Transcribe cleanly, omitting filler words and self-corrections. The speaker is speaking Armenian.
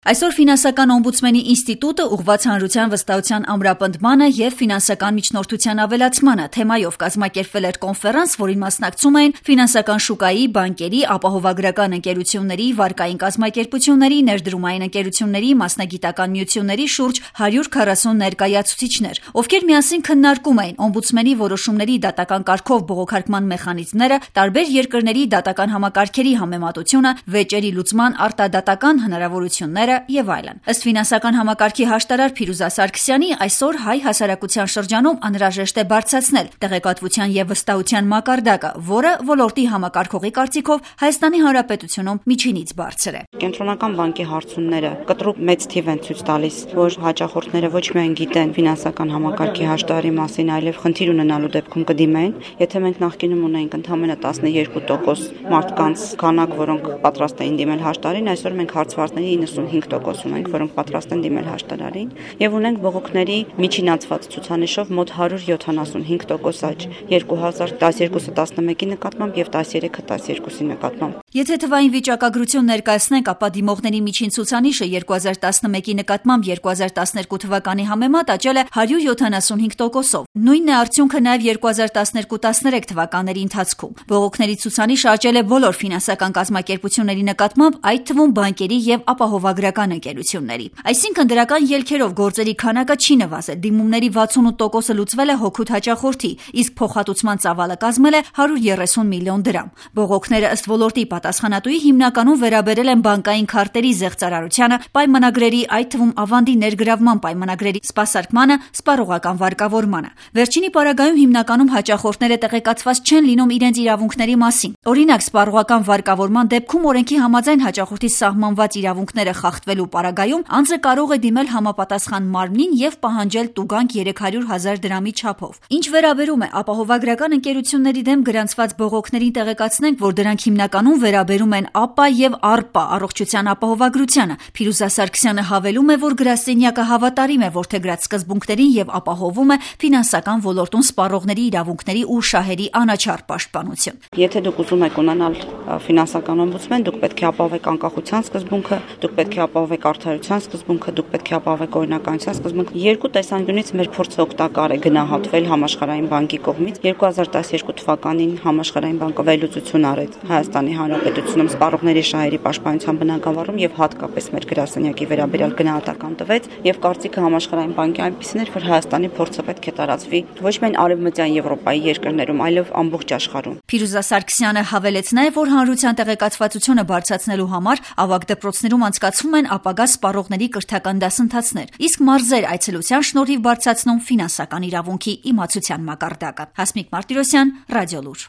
Այսօր ֆինանսական օմբուդսմենի ինստիտուտը ուղղված հանրության վստահության ամրապնդմանը և ֆինանսական միջնորդության ավելացմանը թեմայով կազմակերպվել էր կոնֆերանս, որին մասնակցում էին ֆինանսական շուկայի, բանկերի, ապահովագրական ընկերությունների, վարկային կազմակերպությունների, ներդրումային ընկերությունների, մասնագիտական միությունների շուրջ 140 ներկայացուցիչներ, ովքեր միասին քննարկում էին օմբուդսմենի որոշումների դատական կարգով բողոքարկման մեխանիզմները, տարբեր երկրների դատական համակարգերի համեմատությունը, վեճերի լուծման արտադատական հնարավորությունները եւ այլն։ Ըստ ֆինանսական համակարգի հաշտարար Փիրուզա Սարգսյանի, այսօր հայ հասարակության շրջանում անհրաժեշտ է բարձրացնել տեղեկատվության եւ վստահության մակարդակը, որը ոլորտի համակարգողի կարծիքով Հայաստանի Հանրապետությունում միջինից բարձր է։ Կենտրոնական բանկի հարցումները կտրուկ մեծ թիվ են ցույց տալիս, որ հաճախորդները ոչ միայն գիտեն ֆինանսական համակարգի հաշտարարի մասին, այլև խնդիր ունենալու դեպքում կդիմեն։ Եթե մենք նախկինում ունեինք ընդամենը 12% մարդկանց քանակ, որոնք պատրաստ էին դիմել հաշտարարին, այսօր մենք հարցվածների 95% ունենք, որոնք պատրաստ են դիմել հաշտարարին, եւ ունենք բողոքների միջինացված ցուցանիշով մոտ 175% աճ 2012-11-ի նկատմամբ եւ 13-12-ի նկատմամբ։ Եթե թվային վիճակագրություն ներկայացնենք, ապա դիմողների միջին ցուցանիշը 2011-ի նկատմամբ 2012 թվականի համեմատ աճել է 175%-ով։ Նույնն է արդյունքը նաև 2012-13 թվականների ընթացքում։ Բողոքների ցուցանիշը աճել է բոլոր ֆինանսական կազմակերպությունների նկատմամբ, այդ թվում բանկերի եւ ապահովագրական ընկերությունների։ Այսինքն դրական ելքերով գործերի քանակը չի նվազել։ Դիմումների 68%-ը լուծվել է հօգուտ հաճախորդի, իսկ փոխհատուցման ծավալը կազմել է 130 միլիոն դրամ։ Բողոքները ըստ ոլորտի պատասխանատուի հիմնականում վերաբերել են բանկային քարտերի զեղծարարությանը, պայմանագրերի, այդ թվում ավանդի ներգրավման պայմանագրերի սպասարկմանը, սպառողական վարկավորմանը։ Վերջինի պարագայում հիմնականում հաճախորդները տեղեկացված չեն լինում իրենց իրավունքների մասին։ Օրինակ, սպառողական վարկավորման դեպքում օրենքի համաձայն հաճախորդի սահմանված իրավունքները խախտվելու պարագայում անձը կարող է դիմել համապատասխան մարմնին եւ պահանջել տուգանք 300,000 դրամի չափով։ Ինչ վերաբերում է ապահովագրական ընկերությունների դեմ գրանցված բողոքներին, տեղեկացնենք, որ դրանք հիմնականում վերաբերում են ԱՊԱ եւ ԱՌՊԱ առողջության ապահովագրությանը։ Փիրուզա Սարգսյանը հավելում է, որ գրասենյակը հավատարիմ է որդեգրած սկզբունքներին եւ ապահովում է ֆինանսական ոլորտում սպառողների իրավունքների ու շահերի անաչառ պաշտպանություն։ Եթե դուք ուզում եք ունենալ ֆինանսական օմբուդսմեն, դուք պետք է ապահովեք անկախության սկզբունքը, դուք պետք է ապահովեք արդարության սկզբունքը, դուք պետք է ապահովեք օրինականության սկզբունքը։ Երկու տեսանկյունից մեր փորձը օգտակար է գնահատվել համաշխարհային բանկի կողմից։ 2012 թվականին համաշխարհային բանկը վերլուծություն արեց Հայաստանի Հանրապետությունում սպառողների շահերի պաշտպանության բնագավառում եւ հատկապես մեր գրասենյակի վերաբերյալ գնահատական տվեց եւ կարծիքը համաշխարհային բանկի այնպիսին էր, որ Հայաստանի փորձը պետք է տարածվի ոչ միայն արևմտյան Եվրոպայի երկրներում, այլև ամբողջ աշխարհում։ Փիրուզա Սարգսյանը հավելեց նաեւ, որ հանրության տեղեկացվածությունը բարձրացնելու համար ավագ դպրոցներում անցկացվում են ապագա սպառողների կրթական դասընթացներ, իսկ մարզեր այցելության շնորհիվ բարձրացնում ֆինանսական իրավունքի իմացության մակարդակը։ Հասմիկ Մարտիրոսյան, Ռադիոլուր։